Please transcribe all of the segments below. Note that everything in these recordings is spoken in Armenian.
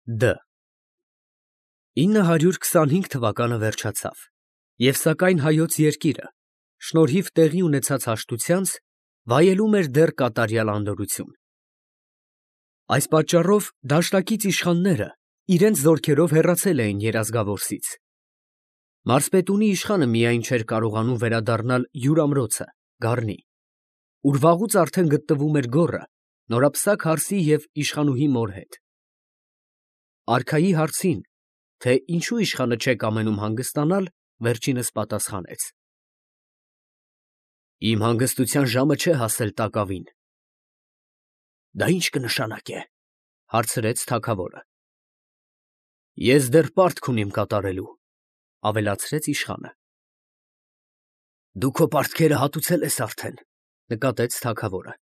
Դ 925 թվականը վերջացավ, և սակայն հայոց երկիրը, շնորհիվ տեղի ունեցած հաշտությանց, վայելում էր դեռ կատարյալ անդորրություն։ Այս պատճառով դաշնակից իշխանները իրենց զորքերով հեռացել էին երազգավորսից։ Մարզպետունի իշխանը միայն չէր կարողանում վերադառնալ յուր ամրոցը, Գառնի, ուր վաղուց արդեն գտնվում էր գոռը նորապսակ հարսի և իշխանուհի մոր հետ։ Արքայի հարցին, թե ինչու իշխանը չէ կամենում հանգստանալ, վերջինս պատասխանեց. Իմ հանգստության ժամը չէ հասել տակավին։ Դա ի՞նչ կնշանակե, հարցրեց թագավորը։ Ես դեռ պարտք ունիմ կատարելու, ավելացրեց իշխանը։ Դու քո պարտքերը հատուցել ես արդեն, նկատեց թագավորը։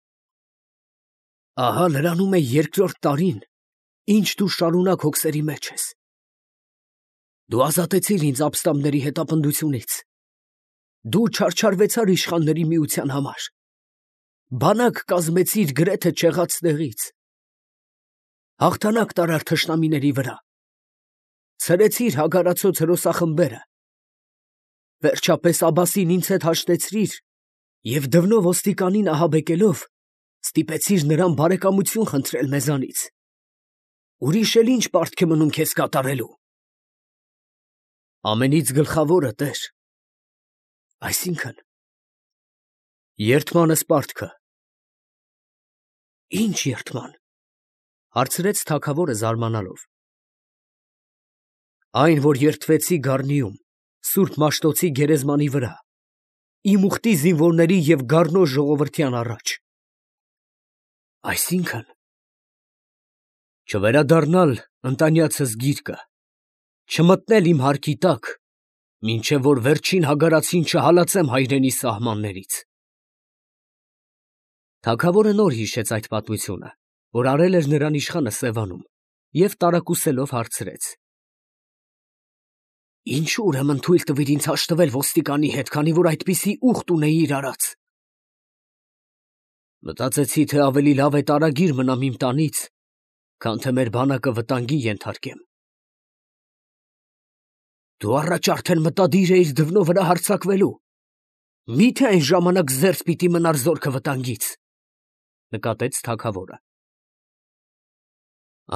Ահա լրանում է երկրորդ տարին, ինչ դու շարունակ հոգսերի մեջ ես։ Դու ազատեցիր ինձ ապստամբների հետապնդությունից։ Դու չարչարվեցար իշխանների միության համար։ Բանակ կազմեցիր գրեթե չեղած տեղից։ Հաղթանակ տարար թշնամիների վրա։ Ցրեցիր հագարացոց հրոսախմբերը։ Վերջապես Աբասին ինձ հետ հաշտեցրիր և դվնով ոստիկանին ահաբեկելով ստիպեցիր նրան բարեկամություն խնդրել մեզանից։ Ուրիշ էլ ինչ պարտք է մնում քեզ կատարելու։ Ամենից գլխավորը, տեր։ Այսինքն, երդմանս պարտքը։ Ինչ երդման, հարցրեց թագավորը զարմանալով։ Այն, որ երդվեցի Գառնիում, Սուրբ Մաշտոցի գերեզմանի վրա, իմ ուխտի զինվորների և Գառնո ժողովրդյան առաջ։ Այսինքն, չվերադառնալ ընտանյացս գիրկը, չմտնել իմ հարկի տակ, մինչև որ վերջին հագարացին չհալածեմ հայրենի սահմաններից։ Թագավորը նոր հիշեց այդ պատմությունը, որ արել էր նրան իշխանը Սևանում, և տարակուսելով հարցրեց. Ինչո՞ւ ուրեմն թույլ տվիր ինձ հաշտվել ոստիկանի հետ, քանի որ այդպիսի ուխտ ունեիր արած։ Մտածեցի, թե ավելի լավ է տարագիր մնամ իմ տանից, քան թե մեր բանակը վտանգի ենթարկեմ։ Դու առաջ արդեն մտադիր էիր դվնո վրա հարձակվելու։ Մի՞թե այն ժամանակ զերծ պիտի մնար զորքը վտանգից, նկատեց թագավորը։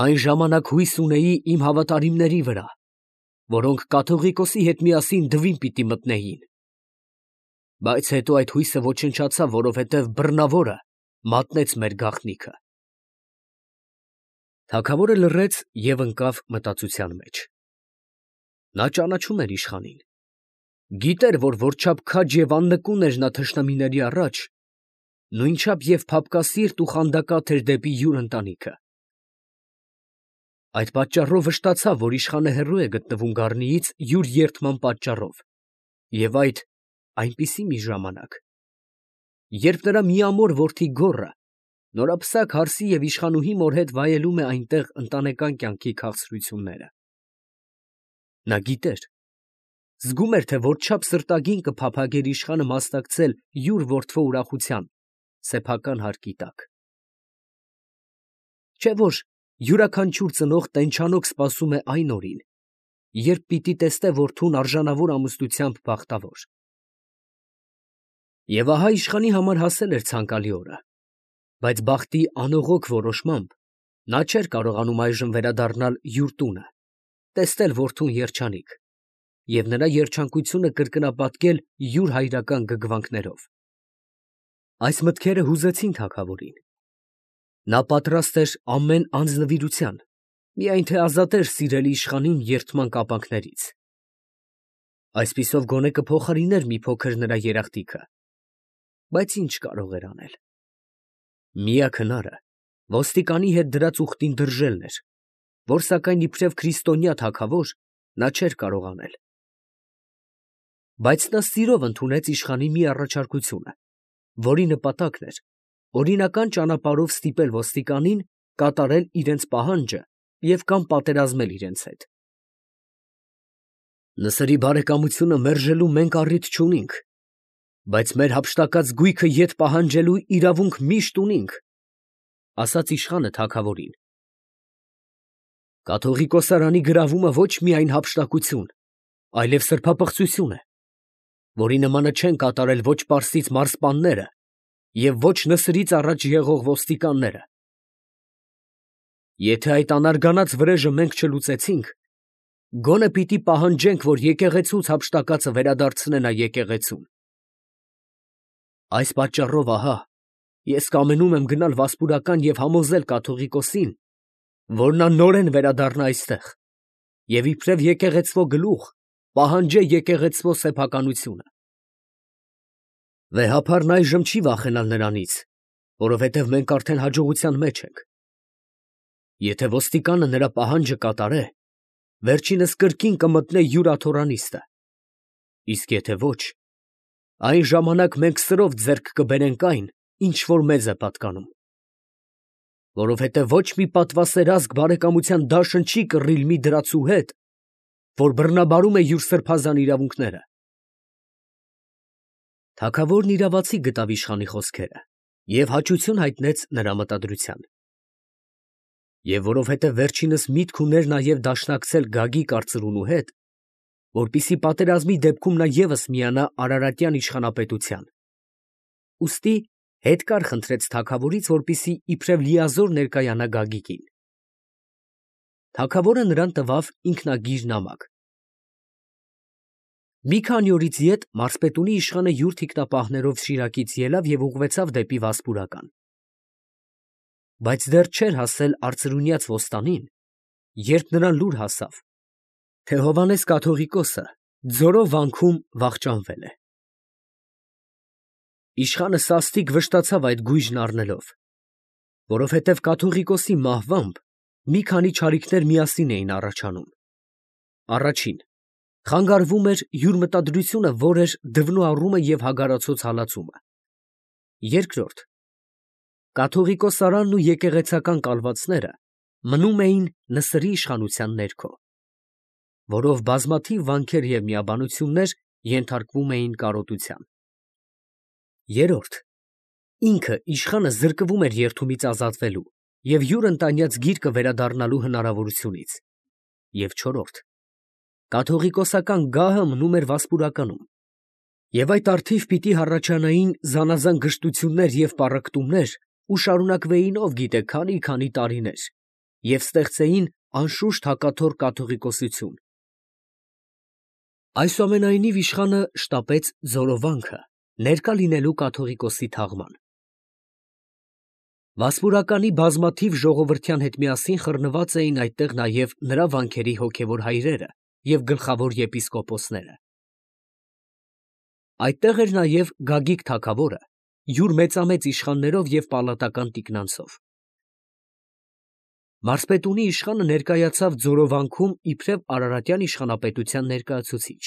Այն ժամանակ հույս ունեի իմ հավատարիմների վրա, որոնք կաթողիկոսի հետ միասին դվին պիտի մտնեին։ Բայց հետո այդ հույսը ոչնչացավ, որովհետև բռնավորը մատնեց մեր գաղտնիքը։ Թագավորը լռեց և ընկավ մտածության մեջ։ Նա ճանաչում էր իշխանին։ Գիտեր, որ որչափ քաջ և աննկուն էր նա թշնամիների առաջ, նույնչափ և փափկասիրտ ու խանդակատ էր դեպի յուր ընտանիքը։ Այդ պատճառով վշտացավ, որ իշխանը հեռու է գտնվում Գառնիից յուր երդման պատճառով, և այդ այնպիսի մի ժամանակ, երբ նրա միամոր որդի գոռը նորապսակ հարսի և իշխանուհի մոր հետ վայելում է այնտեղ ընտանեկան կյանքի քաղցրությունները։ Նա գիտեր, զգում էր, թե որչափ սրտագին կփափագեր իշխանը մասնակցել յուր որդվո ուրախության սեփական հարկի տակ։ Չէ՞ որ յուրաքանչյուր ծնող տենչանոք սպասում է այն օրին, երբ պիտի տեսնե որդուն արժանավոր ամուսնությամբ բախտավոր։ Եվ ահա իշխանի համար հասել էր ցանկալի օրը, բայց բախտի անողոք որոշմամբ նա չէր կարողանում այժմ վերադառնալ յուր տունը, տեսնել որդուն երջանիկ և նրա երջանկությունը կրկնապատկել յուր հայրական գգվանքներով։ Այս մտքերը հուզեցին թագավորին։ Նա պատրաստ էր ամեն անձնվիրության, միայն թե ազատեր սիրելի իշխանին երդման կապանքներից։ Այսպիսով գոնե կփոխարիներ մի փոքր նրա երախտիքը, բայց ինչ կարող էր անել։ Միակ հնարը ոստիկանի հետ դրած ուխտին դրժելն էր, որ սակայն իբրև քրիստոնյա թագավոր նա չէր կարող անել։ Բայց նա սիրով ընդունեց իշխանի մի առաջարկությունը, որի նպատակն էր օրինական ճանապարհով ստիպել ոստիկանին կատարել իրենց պահանջը և կամ պատերազմել իրենց հետ։ Նսրի բարեկամությունը մերժելու մենք առիթ չունենք, բայց մեր հափշտակած գույքը ետ պահանջելու իրավունք միշտ ունենք, ֊ ասաց իշխանը թագավորին։ Կաթողիկոսարանի գրավումը ոչ միայն հափշտակություն, այլև սրբապղծություն է, որի նմանը չեն կատարել ոչ պարսից մարզպանները և ոչ նսրից առաջ եղող ոստիկանները։ Եթե այդ անարգանած վրեժը մենք չլուծեցինք, գոնե պիտի պահանջենք, որ եկեղեցուց հափշտակածը վերադարձնեն այդ եկեղեցուն։ Այս պատճառով ահա ես կամենում եմ գնալ Վասպուրական և համոզել կաթողիկոսին, որ նա նորեն վերադառնա այստեղ և իբրև եկեղեցվո գլուխ պահանջե եկեղեցվո սեփականությունը։ Վեհափարն այժմ չի վախենալ նրանից, որովհետև մենք արդեն հաջողության մեջ ենք։ Եթե ոստիկանը նրա պահանջը կատարե, վերջինս կրկին կմտնե յուր աթոռանիստը, իսկ եթե ոչ, այն ժամանակ մենք սրով ձեռք կբերենք այն, ինչ որ մեզ է պատկանում։ Որովհետև ոչ մի պատվասեր ազգ բարեկամության դաշն չի կռիլ մի դրացու հետ, որ բռնաբարում է յուր սրբազան իրավունքները։ Թագավորն իրավացի գտավ իշխանի խոսքերը և հաճություն հայտնեց նրա մտադրության։ Եվ որովհետև վերջինս միտք ուներ նաև դաշնակցել Գագիկ արծրունու հետ, որպեսզի պատերազմի դեպքում նա ևս միանա Արարատյան իշխանապետության, ուստի հետ կար խնդրեց թագավորից, որպեսզի իբրև լիազոր ներկայանա Գագիկին։ Թագավորը նրան տվավ ինքնագիր նամակ։ Մի քանի օրից ետ մարզպետունի իշխանը յուր թիկնապահներով Շիրակից ելավ և ուղղվեցավ դեպի Վասպուրական։ Բայց դեռ չէր հասել արծրունյաց ոստանին, երբ նրան լուր հասավ, թե Հովհաննես կաթողիկոսը ձորով վանքում վախճանվել է։ Իշխանը սաստիկ վշտացավ այդ գույժն առնելով, որովհետև կաթողիկոսի մահվամբ մի քանի չարիքներ միասին էին առաջանում. առաջին, խանգարվում էր յուր մտադրությունը, որ էր դվնու առումը և հագարացոց հալածումը. երկրորդ, կաթողիկոսարանն ու եկեղեցական կալվածները մնում էին Նսրի իշխանության ներքո, որով բազմաթիվ վանքեր և միաբանություններ ենթարկվում էին կարոտության. երրորդ, ինքը իշխանը զրկվում էր երդումից ազատվելու և յուր ընտանյաց գիրկը վերադառնալու հնարավորությունից, և չորրորդ, կաթողիկոսական գահը մնում էր Վասպուրականում, և այդ առթիվ պիտի հառաջանային զանազան գժտություններ և պառակտումներ ու շարունակվեին ով գիտե քանի տարիներ և ստեղծեին անշուշտ հակաթոռ կաթողիկոսություն։ Այսուամենայնիվ իշխանը շտապեց Ձորովանքը ներկա լինելու կաթողիկոսի թաղման։ Վասպուրականի բազմաթիվ ժողովրդյան հետ միասին խռնված էին այդտեղ նաև նրա վանքերի հոգևոր հայրերը և գլխավոր եպիսկոպոսները։ Այդտեղ էր նաև Գագիկ թագավորը յուր մեծամեծ իշխաններով և պալատական տիկնանցով։ Մարզպետունի իշխանը ներկայացավ Ձորովանքում իբրև Արարատյան իշխանապետության ներկայացուցիչ,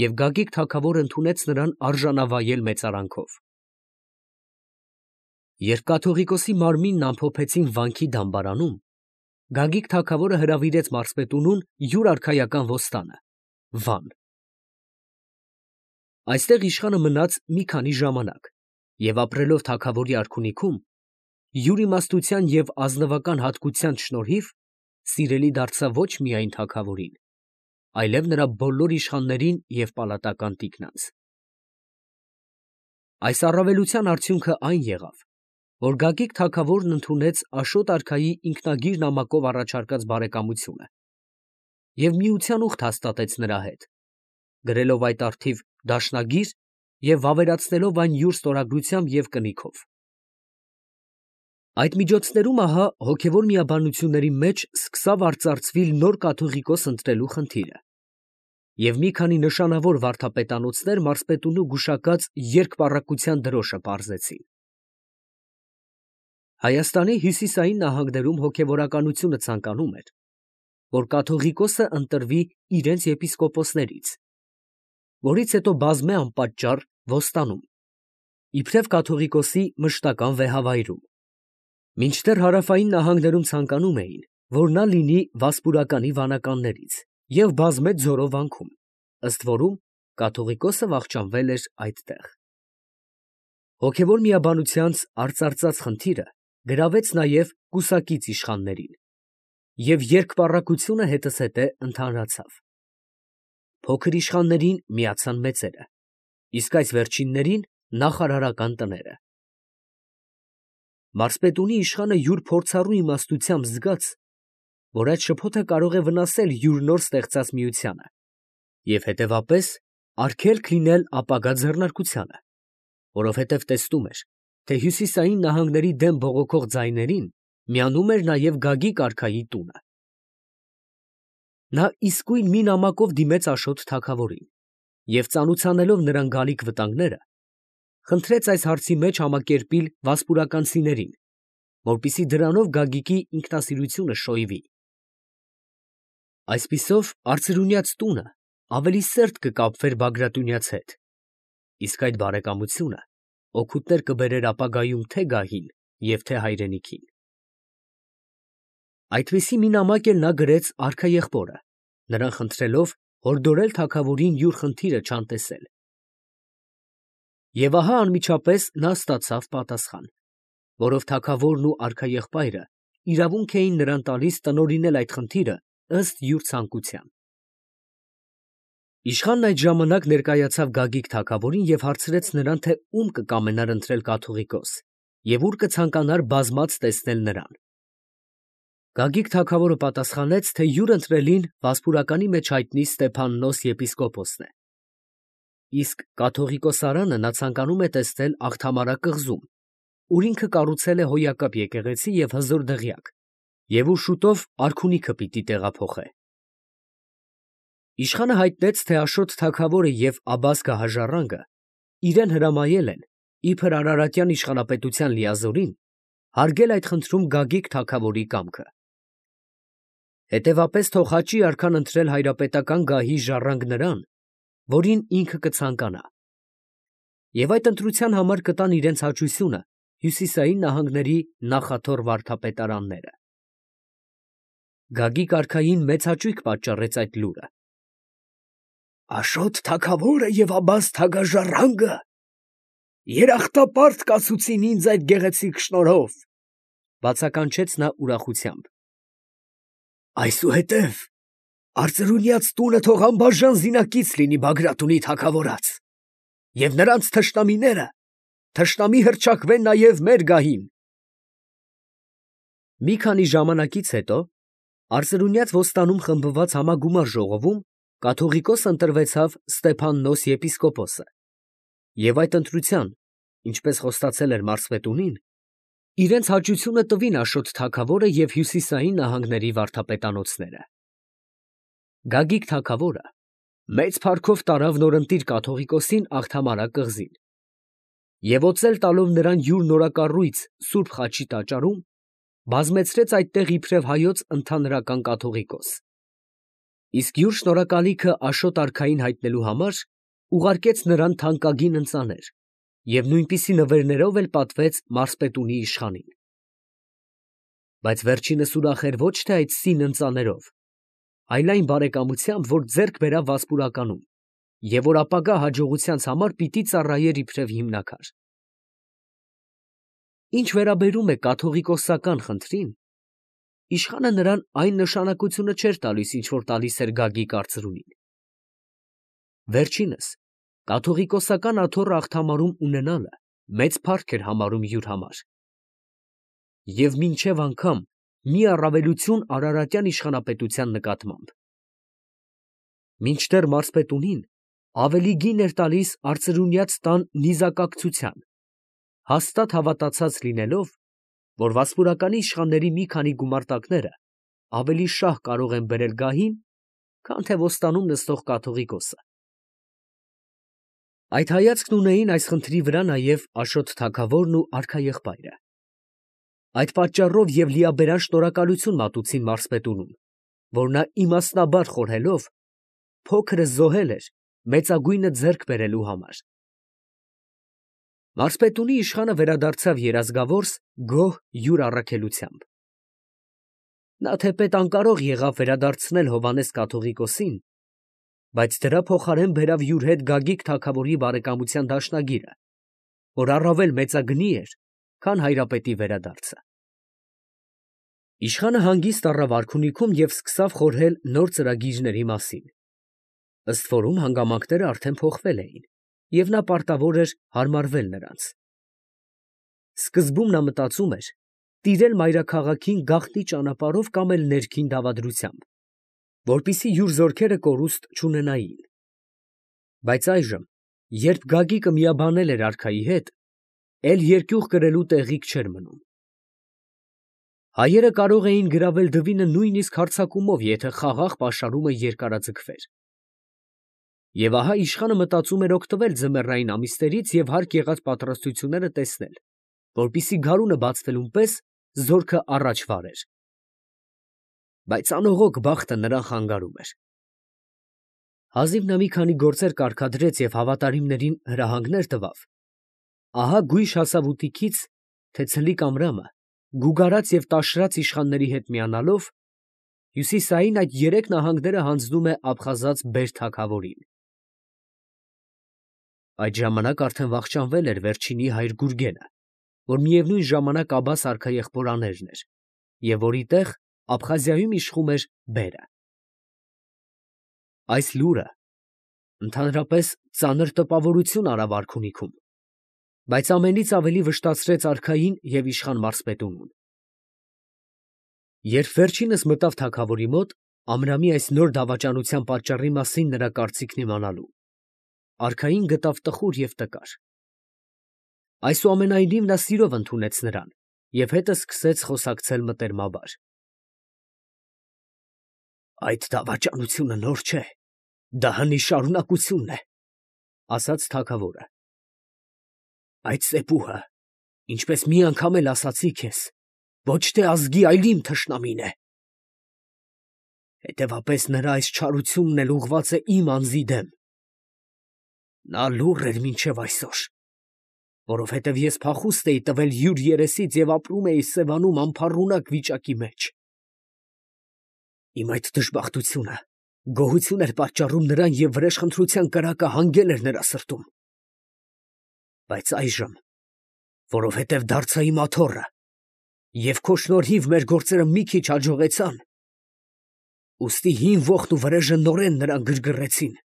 և Գագիկ թագավորը ընդունեց նրան արժանավայել մեծարանքով։ Երբ կաթողիկոսի մարմինն ամփոփեցին վանքի դամբարանում, Գագիկ թագավորը հրավիրեց մարզպետունուն յուր արքայական ոստանը Վան։ Այստեղ իշխանը մնաց մի քանի ժամանակ և ապրելով թագավորի արքունիքում, յուր իմաստության և ազնվական հատկության շնորհիվ սիրելի դարձավ ոչ միայն թագավորին, այլև նրա բոլոր իշխաններին և պալատական տիկնանց։ Այս առավելության արդյունքը այն եղավ, որ Գագիկ թագավորն ընդունեց Աշոտ արքայի ինքնագիր նամակով առաջարկած բարեկամությունը և միության ուխտ հաստատեց նրա հետ, գրելով այդ առթիվ դաշնագիր և վավերացնելով այն յուր ստորագրությամբ և կնիքով։ Այդ միջոցներում ահա հոգևոր միաբանությունների մեջ սկսավ արծարծվիլ նոր կաթողիկոս ընտրելու խնդիրը, և մի քանի նշանավոր վարդապետանոցներ մարզպետունու գուշակած երկպառակտության դրոշը պարզեցին։ Հայաստանի հյուսիսային նահանգներում հոգևորականությունը ցանկանում էր, որ կաթողիկոսը ընտրվի իրենց եպիսկոպոսներից, որից հետո բազմե անպատճառ ոստանում, իբրև կաթողիկոսի մշտական վեհավայրում, մինչդեռ հարավային նահանգներում ցանկանում էին, որ նա լինի Վասպուրականի վանականներից և բազմե Ձորո վանքում, ըստ որում կաթողիկոսը վախճանվել էր այդտեղ։ Հոգևոր միաբանությանց արծարծած խնդիրը գրավեց նաև կուսակից իշխաններին։ և երկպառակությունը հետզհետե ընդհանրացավ։ Փոքր իշխաններին միացան մեծերը, իսկ այս վերջիններին նախարարական տները։ Մարզպետունի իշխանը յուր փորձառու իմաստությամբ զգաց, որ այդ շփոթը կարող է վնասել յուր նոր ստեղծած միությանը և հետևապես արգելք լինել ապագա ձեռնարկությանը, որովհետև տեսնում էր, թե հյուսիսային նահանգների դեմ բողոքող ձայներին միանում էր նաև Գագիկ արքայի տունը։ Նա իսկույն մի նամակով դիմեց Աշոտ թագավորին և ծանուցանելով նրան գալիք վտանգները, խնդրեց այս հարցի մեջ համակերպիլ վասպուրականցիներին, որպեսզի դրանով Գագիկի ինքնասիրությունը շոյվի։ Այսպիսով արծրունյաց տունը ավելի սերտ կկապվեր Բագրատունյաց հետ, իսկ այդ բարեկամությունը օգուտներ կբերեր ապագայում թե գահին և թե հայրենիքին։ Այդպիսի մի նամակ էլ նա գրեց արքաեղբորը, նրան խնդրելով հորդորել թագավորին յուր խնդիրը չանտեսել։ Եվ ահա անմիջապես նա ստացավ պատասխան, որով թագավորն ու արքաեղբայրը իրավունք էին նրան տալիս տնօրինել այդ խնդիրը ըստ յուր ցանկության։ Իշխանն այդ ժամանակ ներկայացավ Գագիկ թագավորին և հարցրեց նրան, թե ում կկամենար ընտրել կաթողիկոս և ուր կցանկանար բազմած տեսնել նրան։ Գագիկ թագավորը պատասխանեց, թե յուր ընտրելին Վասպուրականի մեջ հայտնի Ստեփաննոս եպիսկոպոսն է, իսկ կաթողիկոսարանը նա ցանկանում է տեսնել Աղթամարա կղզում, ուր ինքը կառուցել է հոյակապ եկեղեցի և հզոր դղյակ, և ուր շուտով արքունիքը պիտի տեղափոխե։ Իշխանը հայտնեց, թե Աշոտ թագավորը և Աբբաս գահաժառանգը իրեն հրամայել են, իբր Արարատյան իշխանապետության լիազորին, հարգել այդ խնդրում Գագիկ թագավորի կամքը։ Հետևապես թող հաճի արքան ընտրել հայրապետական գահի ժառանգ նրան, որին ինքը կցանկանա, և այդ ընտրության համար կտան իրենց հաճությունը հյուսիսային նահանգների նախաթոռ վարդապետարանները։ Գագիկ արքային մեծ հաճույք պատճառեց այդ լուրը։ «Աշոտ թագավորը և Աբբաս թագաժառանգը երախտապարտ կացուցին ինձ այդ գեղեցիկ շնորհով, ֊ բացականչեց նա ուրախությամբ։ Այսուհետև արծրունյաց տունը թող անբաժան զինակից լինի Բագրատունի թագավորած, և նրանց թշնամիները թշնամի հռչակվեն նաև մեր գահին։ Մի քանի ժամանակից հետո արծրունյաց ոստանում խմբված համագումար ժողովում կաթողիկոս ընտրվեցավ Ստեփաննոս եպիսկոպոսը, և այդ ընտրության, ինչպես խոստացել էր մարզպետունին, իրենց հաճությունը տվին Աշոտ թագավորը և հյուսիսային նահանգների վարդապետանոցները։ Գագիկ թագավորը մեծ փառքով տարավ նորընտիր կաթողիկոսին Աղթամարա կղզին և օծել տալով նրան յուր նորակառույց Սուրբ Խաչի տաճարում, բազմեցրեց այդտեղ իբրև հայոց ընդհանրական կաթողիկոս, իսկ յուր շնորհակալիքը Աշոտ արքային հայտնելու համար ուղարկեց նրան թանկագին ընծաներ և նույնպիսի նվերներով էլ պատվեց մարզպետունի իշխանին։ Բայց վերջինս ուրախ էր ոչ թե այդ սին ընծաներով, այլ այն բարեկամությամբ, որ ձեռք բերավ Վասպուրականում և որ ապագա հաջողությանց համար պիտի ծառայեր իբրև հիմնաքար։ Ինչ վերաբերում է կաթողիկոսական խնդրին, իշխանը նրան այն նշանակությունը չէր տալիս, ինչ որ տալիս էր Գագիկ արծրունին։ Վերջինս կաթողիկոսական աթոռը Աղթամարում ունենալը մեծ փառք էր համարում յուր համար և մինչև անգամ մի առավելություն Արարատյան իշխանապետության նկատմամբ։ Մինչդեռ մարզպետունին ավելի գին էր տալիս արծրունյաց տան նիզակակցության, հաստատ հավատացած լինելով, որ Վասպուրականի իշխանների մի քանի գումարտակները ավելի շահ կարող են բերել գահին, քան թե ոստանում նստող կաթողիկոսը։ Այդ հայացքն ունեին այս խնդրի վրա նաև Աշոտ թագավորն ու արքաեղբայրը։ Այդ պատճառով և լիաբերան շնորհակալություն մատուցին մարզպետունում, որ նա իմաստնաբար խորհելով փոքրը զոհել էր մեծագույնը ձեռք բերելու համար։ Մարզպետունի իշխանը վերադարձավ երազգավորս գոհ յուր առաքելությամբ։ Նա թեպետ անկարող եղավ վերադարձնել Հովհաննես կաթողիկոսին, բայց դրա փոխարեն բերավ յուր հետ Գագիկ թագավորի բարեկամության դաշնագիրը, որ առավել մեծագնի էր, քան հայրապետի վերադարձը։ Իշխանը հանգիստ առավ արքունիքում և սկսավ խորհել նոր ծրագիրների մասին։ Ըստ որում հանգամանքները արդեն փոխվել էին, և նա պարտավոր էր հարմարվել նրանց։ Սկզբում նա մտածում էր տիրել մայրաքաղաքին գաղտնի ճանապարհով կամ էլ ներքին դավադրությամբ, որպեսզի յուր զորքերը կորուստ չունենային։ Բայց այժմ, երբ Գագիկը միաբանել էր արքայի հետ, էլ երկյուղ կրելու տեղիք չէր մնում։ Հայերը կարող էին գրավել Դվինը նույնիսկ հարձակումով, եթե խաղաղ պաշարումը երկարաձգվեր։ Եվ ահա իշխանը մտածում էր օգտվել ձմեռային ամիսներից և հարկ եղած պատրաստությունները տեսնել, որպեսզի գարունը բացվելուն պես զորքը առաջ վարեր։ Բայց անողոք բախտը նրան խանգարում էր։ Հազիվ նա մի քանի գործեր կարգադրեց և հավատարիմներին հրահանգներ տվավ, ահա գույշ հասավ ուտիքից, թե ցլիկ ամրամը, գուգարած և տաշրած իշխանների հետ միանալով, հյուսիսային այդ երեք նահանգները հանձնում է աբխազած բեր թագավորին։ Այդ ժամանակ արդեն վախճանվել էր վերջինի հայր Գուրգենը, որ միևնույն ժամանակ Աբբաս արքայեղբորաներն էր, և որի տեղ Աբխազիայում իշխում էր բերը։ Այս լուրը ընդհանրապես ծանր տպավորություն արավ արքունիքում, բայց ամենից ավելի վշտացրեց արքային և իշխան մարզպետունին։ Երբ վերջինս մտավ թագավորի մոտ, Ամրամի այս նոր դավաճանության պատճառի մասին նրա կարծիքն իմանալու, արքային գտավ տխուր և տկար։ Այսուամենայնիվ նա սիրով ընդունեց նրան և հետը սկսեց խոսակցել մտերմաբար։ Այդ դավաճանությունը նոր չէ, դա հնի շարունակությունն է, ֊ ասաց թագավորը։ Այդ սեպուհը, ինչպես մի անգամ էլ ասացի քեզ, ոչ թե ազգի, այլ իմ թշնամին է։ Հետևապես նրա այս չարությունն էլ ուղղված է իմ անձի դեմ։ Նա լուռ էր մինչև այսօր, որովհետև ես փախուստ էի տվել յուր երեսից և ապրում էի Սևանում անփառունակ վիճակի մեջ։ Իմ այդ դժբախտությունը գոհություն էր պատճառում նրան և վրեժխնդրության կրակը հանգել էր նրա սրտում։ Բայց այժմ, որովհետև դարձա իմ աթոռը, և քո շնորհիվ մեր գործերը մի քիչ հաջողեցան, ուստի հին ոխն ու վրեժը նորեն նրան գրգռեցին,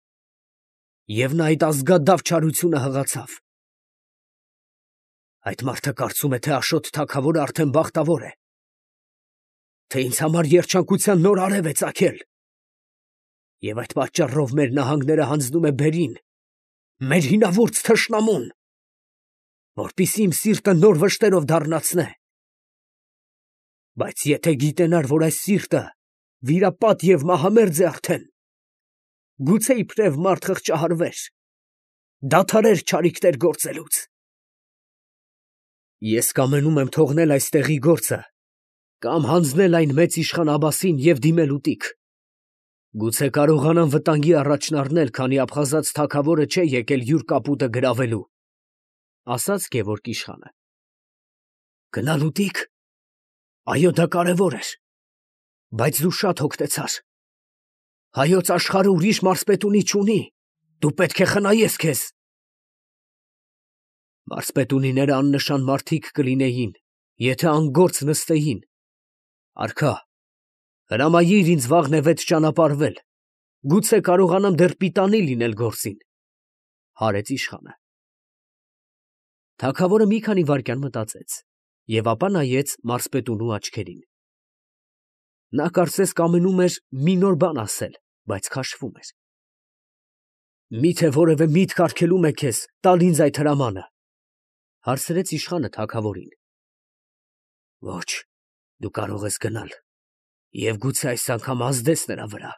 և նա այդ ազգադավ չարությունը հղացավ։ Այդ մարդը կարծում է, թե Աշոտ թագավորը արդեն բախտավոր է, թե ինձ համար երջանկության նոր արև է ծագել, և այդ պատճառով մեր նահանգները հանձնում է բերին, մեր հինավուրց թշնամուն, որպեսզի իմ սիրտը նոր վշտերով դառնացնե։ Բայց եթե գիտենար, որ այս սիրտը վիրապատ և մահամերձ է արդեն, գուցե իբրև մարդ խղճահարվեր, դադարեր չարիքներ գործելուց։ Ես կամենում եմ թողնել այստեղի գործը կամ հանձնել այն մեծ իշխան Աբբասին և դիմել ուտիկ։ Գուցե կարողանամ վտանգի առաջն առնել, քանի աբխազած թագավորը չէ եկել յուր կապուտը գրավելու, ֊ ասաց Գևորգ իշխանը։ Գնալ ուտի՞ք։ Այո, դա կարևոր էր, բայց դու շատ հոգտեցար։ Հայոց աշխարհը ուրիշ մարզպետունի չունի, դու պետք է խնայես քեզ։ Մարզպետունիները աննշան մարդիկ կլինեին, եթե անգործ նստեին։ Արքա, հրամայիր ինձ վաղնևեթ ճանապարհվել, գուցե կարողանամ դեռ պիտանի լինել գործին, ֊ հարեց իշխանը։ Թագավորը մի քանի վայրկյան մտածեց և ապա նայեց մարզպետունու աչքերին։ Նա կարծես կամենում էր մի նոր բան ասել, բայց քաշվում էր։ Մի՞թե որևէ միտք արգելում է քեզ տալ ինձ այդ հրամանը, ֊ հարցրեց իշխանը թագավորին։ Ոչ, դու կարող ես գնալ և գուցե այս անգամ ազդես նրա վրա,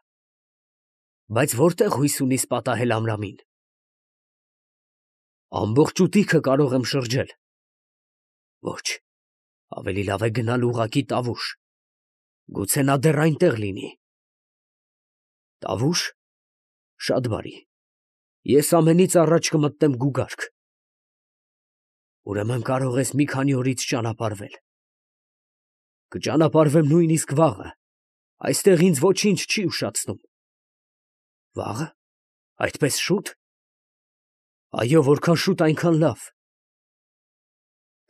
բայց որտե՞ղ հույս ունիս պատահել Ամրամին։ Ամբողջ ուտիքը կարող եմ շրջել։ Ոչ, ավելի լավ է գնալ ուղղակի Տավուշ, գուցե նա դեռ այնտեղ լինի։ Տավուշ, շատ բարի, ես ամենից առաջ կմտնեմ գուգարք։ Ուրեմն կարող ես մի քանի օրից ճանապարհվել։ Կճանապարհվեմ նույնիսկ վաղը, այստեղ ինձ ոչինչ չի ուշացնում։ Վաղը, այդպես շուտ։ Այո, որքան շուտ, այնքան լավ։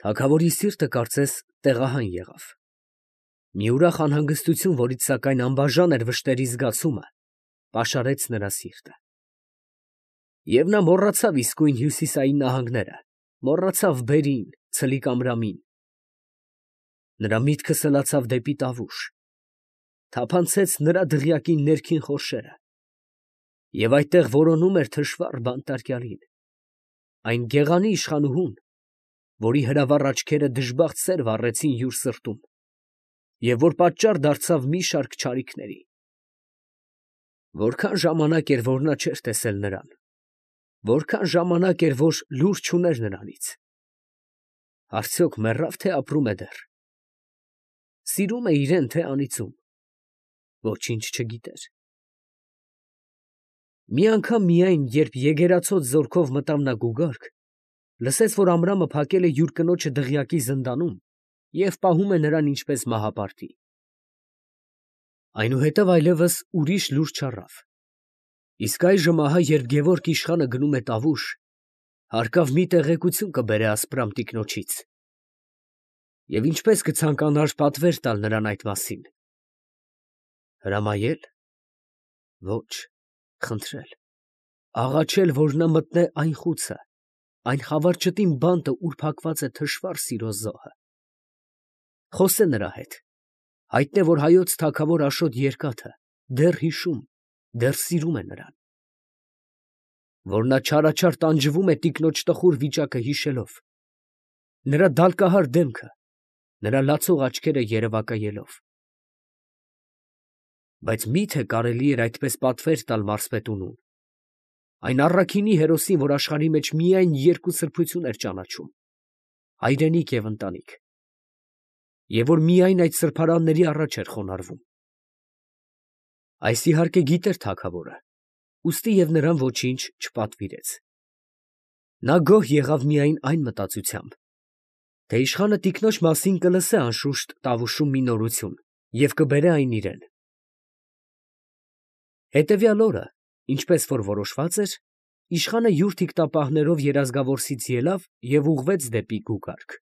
Թագավորի սիրտը կարծես տեղահան եղավ։ Մի ուրախ անհանգստություն, որից սակայն անբաժան էր վշտերի զգացումը, պաշարեց նրա սիրտը։ Եվ նա մոռացավ իսկույն հյուսիսային նահանգները, մոռացավ բերին, ցլիկ ամրամին։ Նրա միտքը սլացավ դեպի Տավուշ, թափանցեց նրա դղյակի ներքին խորշերը, և այդտեղ որոնում էր թշվառ բանտարկյալին, այն գեղանի իշխանուհուն, որի հրավառ աչքերը դժբախտ սեր վառեցին յուր սրտում, և որ պատճառ դարձավ մի շարք չարիքների։ Որքան ժամանակ էր, որ նա չէր տեսել նրան, որքան ժամանակ էր, որ լուր չուներ նրանից. արդյոք մեռավ, թե ապրում է դեռ, սիրում է իրեն, թե անիծում, ոչինչ չգիտեր։ Մի անգամ միայն, երբ եգերացոց զորքով մտավ նա գուգարք, լսեց, որ Ամրամը փակել է յուր կնոջը դղյակի զնդանում և պահում է նրան ինչպես մահապարտի։ Այնուհետև այլևս ուրիշ լուր չառավ։ Իսկ այժմ ահա, երբ Գևորգ իշխանը գնում է Տավուշ, հարկավ մի տեղեկություն կբերե ասպրամ տիկնոջից։ Եվ ինչպես կցանկանար պատվեր տալ նրան այդ մասին։ Հրամայել։ Ոչ, խնդրել, աղաչել, որ նա մտնե այն խուցը, այն խավարճտին բանտը, ուր փակված է թշվառ սիրո զոհը։ Խոսե նրա հետ, հայտնե, որ հայոց թագավոր Աշոտ Երկաթը դեռ հիշում, դեռ սիրում է նրան, որ նա չարաչար տանջվում է տիկնոջ տխուր վիճակը հիշելով, նրա դալկահար դեմքը, նրա լացող աչքերը երևակայելով։ Բայց մի՞թե կարելի էր այդպես պատվեր տալ մարզպետունուն, այն առաքինի հերոսին, որ աշխարհի մեջ միայն երկու սրբություն էր ճանաչում՝ հայրենիք և ընտանիք, և որ միայն այդ սրբարանների առաջ էր խոնարհվում։ Այս իհարկե գիտեր թագավորը, ուստի և նրան ոչինչ չպատվիրեց։ Նա գոհ եղավ միայն այն մտածությամբ, թե իշխանը տիկնոջ մասին կլսե անշուշտ Տավուշում մի նորություն և կբերե այն իրան։ Հետևյալ օրը, ինչպես որ որոշված էր, իշխանը յուր թիկտապահներով երազգավորսից ելավ և ուղղվեց դեպի գուգարք։